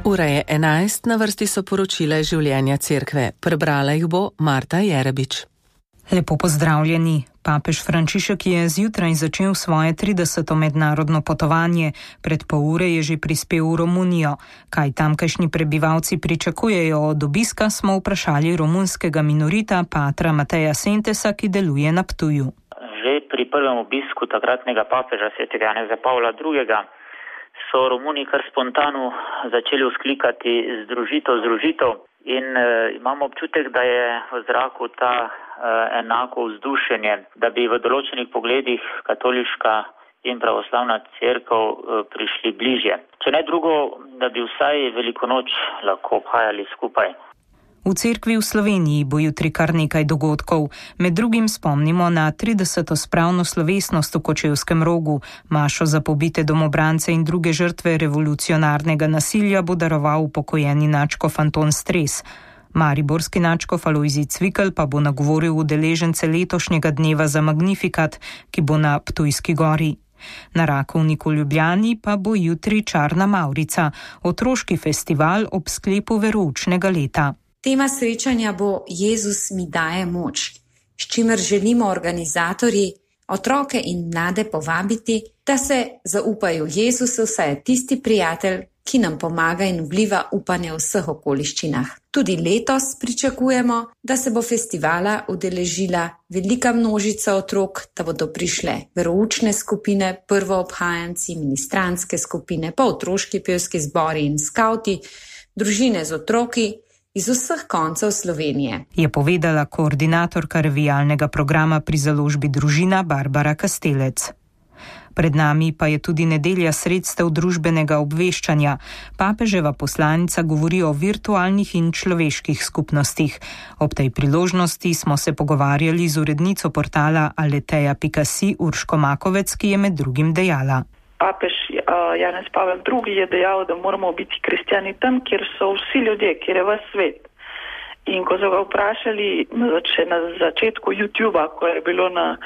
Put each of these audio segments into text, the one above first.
Ura je 11, na vrsti so poročila življenja cerkve. Prebrala jih bo Marta Jerebič. Lepo pozdravljeni. Papež Frančišek je zjutraj začel svoje 30. mednarodno potovanje. Pred pol ure je že prispel v Romunijo. Kaj tamkajšnji prebivalci pričakujejo od obiska, smo vprašali romunskega minorita patra Mateja Sentesa, ki deluje na Ptuju. Že pri prvem obisku takratnega papeža svetega Janeza Pavla II. So Romuni kar spontano začeli vzklikati združitev in imamo občutek, da je v zraku ta enako vzdušenje, da bi v določenih pogledih katoliška in pravoslavna cerkev prišli bližje. Če ne drugo, da bi vsaj veliko noč lahko obhajali skupaj. V cerkvi v Sloveniji bo jutri kar nekaj dogodkov. Med drugim spomnimo na 30. spravno slovesnost v Kočevskem Rogu. Mašo za pobite domobrance in druge žrtve revolucionarnega nasilja bo daroval upokojeni nadškof Anton Stres. Mariborski nadškof Alojzij Cvikl pa bo nagovoril udeležence letošnjega dneva za Magnifikat, ki bo na Ptujski gori. Na Rakovniku v Ljubljani pa bo jutri Čarna Mavrica, otroški festival ob sklepu veroučnega leta. Tema srečanja bo Jezus mi daje moč, s čimer želimo organizatorji otroke in mlade povabiti, da se zaupajo Jezusu, saj je tisti prijatelj, ki nam pomaga in vliva upanje v vseh okoliščinah. Tudi letos pričakujemo, da se bo festivala udeležila velika množica otrok, da bodo prišle veroučne skupine, prvoobhajanci, ministranske skupine, pa otroški pevski zbori in skavti, družine z otroki iz vseh koncev Slovenije, je povedala koordinatorka revijalnega programa pri založbi Družina Barbara Kastelec. Pred nami pa je tudi nedelja sredstev družbenega obveščanja. Papeževa poslanica govori o virtualnih in človeških skupnostih. Ob tej priložnosti smo se pogovarjali z urednico portala aleteja.si Urško Makovec, ki je med drugim dejala. Papež Janez Pavel II. Je dejal, da moramo biti kristjani tam, kjer so vsi ljudje, kjer je ves svet. In ko so ga vprašali še na začetku YouTubea, ko je bilo na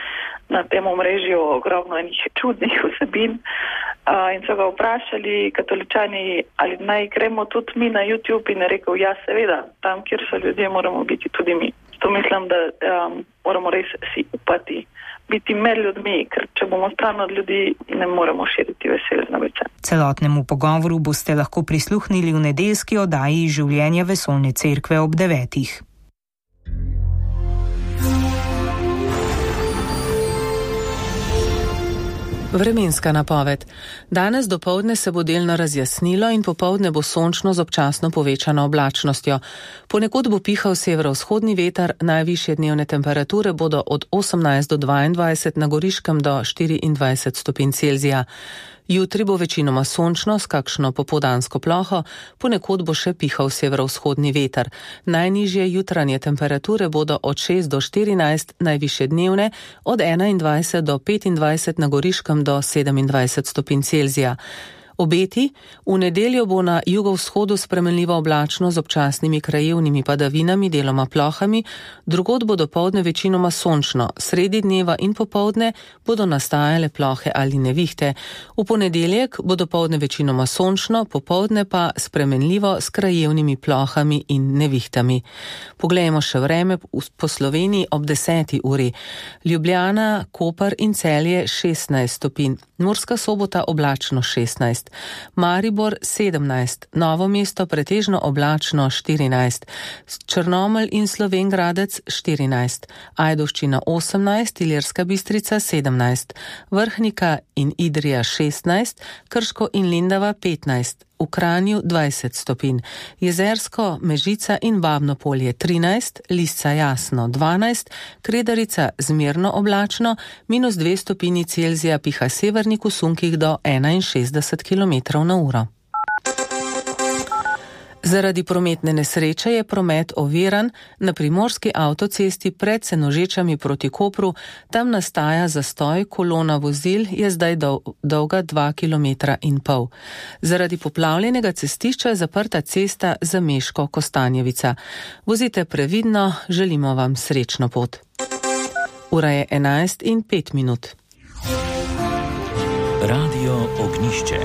tem omrežju ogromno enih čudnih vsebin, in so ga vprašali katoličani, ali naj gremo tudi mi na YouTube, in je rekel, ja seveda, tam, kjer so ljudje, moramo biti tudi mi. To mislim, da moramo res si upati biti med ljudmi, ker če bomo stran od ljudi, ne moremo širiti veselje z novice. Celotnemu pogovoru boste lahko prisluhnili v nedeljski oddaji Življenja vesoljne cerkve ob 9. Vremenska napoved. Danes dopoldne se bo delno razjasnilo in popoldne bo sončno z občasno povečano oblačnostjo. Ponekod bo pihal severovzhodni veter, najvišje dnevne temperature bodo od 18 do 22, na Goriškem do 24 stopinj Celzija. Jutri bo večinoma sončno s kakšno popoldansko ploho, ponekod bo še pihal severovzhodni veter. Najnižje jutranje temperature bodo od 6 do 14, najvišje dnevne od 21 do 25, na Goriškem do 27 stopinj Celzija. Obeti: v nedeljo bo na jugovzhodu spremenljivo oblačno z občasnimi krajevnimi padavinami, deloma plohami, drugod bo dopoldne večinoma sončno, sredi dneva in popoldne bodo nastajale plohe ali nevihte. V ponedeljek bo dopoldne večinoma sončno, popoldne pa spremenljivo s krajevnimi plohami in nevihtami. Poglejmo še vreme po Sloveniji ob 10. uri. Ljubljana, Koper in Celje 16 stopinj, Murska Sobota oblačno 16, Maribor 17, Novo mesto pretežno oblačno 14, Črnomelj in Slovenj Gradec 14, Ajdovščina 18, Ilirska Bistrica 17, Vrhnika in Idrija 16, Krško in Lendava 15, v Kranju 20 stopinj, Jezersko, Mežica in Babno Polje 13, Lisca jasno 12, Kredarica zmerno oblačno, -2 stopinji Celzija, piha severnik v sunkih do 61 km/h. Zaradi prometne nesreče je promet oviran na primorski avtocesti pred Senožečami proti Kopru. Tam nastaja zastoj, kolona vozil je zdaj dolga 2,5 km. Zaradi poplavljenega cestišča je zaprta cesta Zameško-Kostanjevica. Vozite previdno, želimo vam srečno pot. Ura je 11:05. Radio Ognjišče.